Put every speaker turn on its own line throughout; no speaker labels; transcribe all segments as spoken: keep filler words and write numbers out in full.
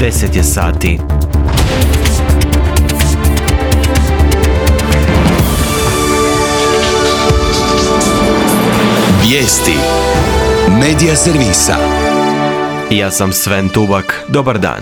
deset je sati.
Vijesti Medija servisa.
Ja sam Sven Tubak. Dobar dan.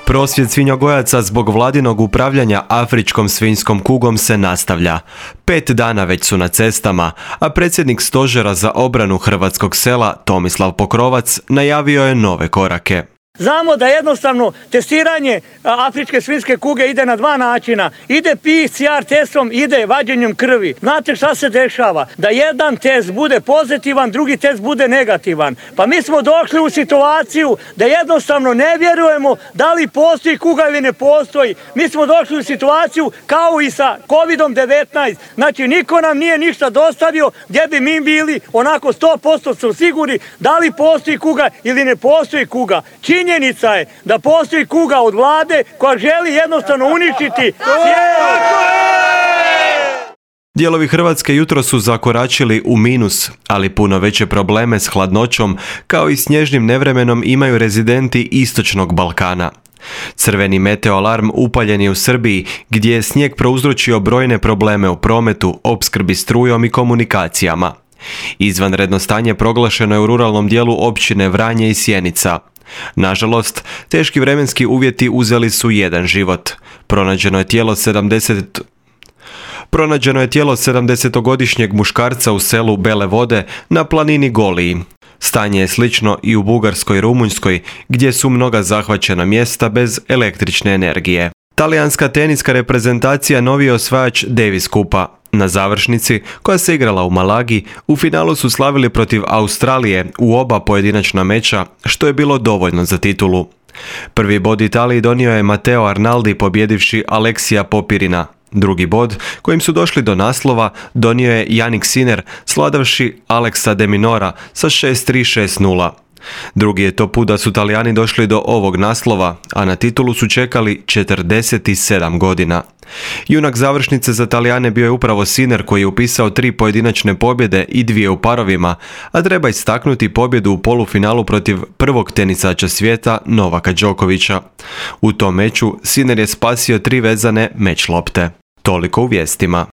Prosvjed svinjogojaca zbog vladinog upravljanja afričkom svinjskom kugom se nastavlja. Pet dana već su na cestama, a predsjednik stožera za obranu hrvatskog sela Tomislav Pokrovac najavio je nove korake.
Znamo da jednostavno testiranje afričke svinjske kuge ide na dva načina. Ide P C R testom, ide vađenjem krvi. Znate šta se dešava? Da jedan test bude pozitivan, drugi test bude negativan. Pa mi smo došli u situaciju da jednostavno ne vjerujemo da li postoji kuga ili ne postoji. Mi smo došli u situaciju kao i sa kovid devetnaest. Znači niko nam nije ništa dostavio gdje bi mi bili onako sto posto su sigurni da li postoji kuga ili ne postoji kuga. Činjenica je da postoji kuga od vlade koja želi jednostavno uništiti cijelu.
Dijelovi Hrvatske jutro su zakoračili u minus, ali puno veće probleme s hladnoćom kao i snježnim nevremenom imaju rezidenti istočnog Balkana. Crveni meteoalarm upaljen je u Srbiji, gdje je snijeg prouzročio brojne probleme u prometu, opskrbi strujom i komunikacijama. Izvanredno stanje proglašeno je u ruralnom dijelu općine Vranje i Sjenica. Nažalost, teški vremenski uvjeti uzeli su jedan život. Pronađeno je tijelo sedamdeset Pronađeno je tijelo sedamdesetogodišnjeg muškarca u selu Bele Vode na planini Goliji. Stanje je slično i u Bugarskoj i Rumunjskoj, gdje su mnoga zahvaćena mjesta bez električne energije. Talijanska teniska reprezentacija novi je osvajač Davis Kupa. Na završnici, koja se igrala u Malagi, u finalu su slavili protiv Australije u oba pojedinačna meča, što je bilo dovoljno za titulu. Prvi bod Italiji donio je Matteo Arnaldi pobjedivši Aleksija Popirina. Drugi bod, kojim su došli do naslova, donio je Jannik Sinner svladavši Alexa de Minaura sa šest tri šest nula. Drugi je to put da su Talijani došli do ovog naslova, a na titulu su čekali četrdeset sedam godina. Junak završnice za Talijane bio je upravo Sinner koji je upisao tri pojedinačne pobjede i dvije u parovima, a treba istaknuti pobjedu u polufinalu protiv prvog tenisača svijeta Novaka Đokovića. U tom meču Sinner je spasio tri vezane meč lopte. Toliko u vijestima.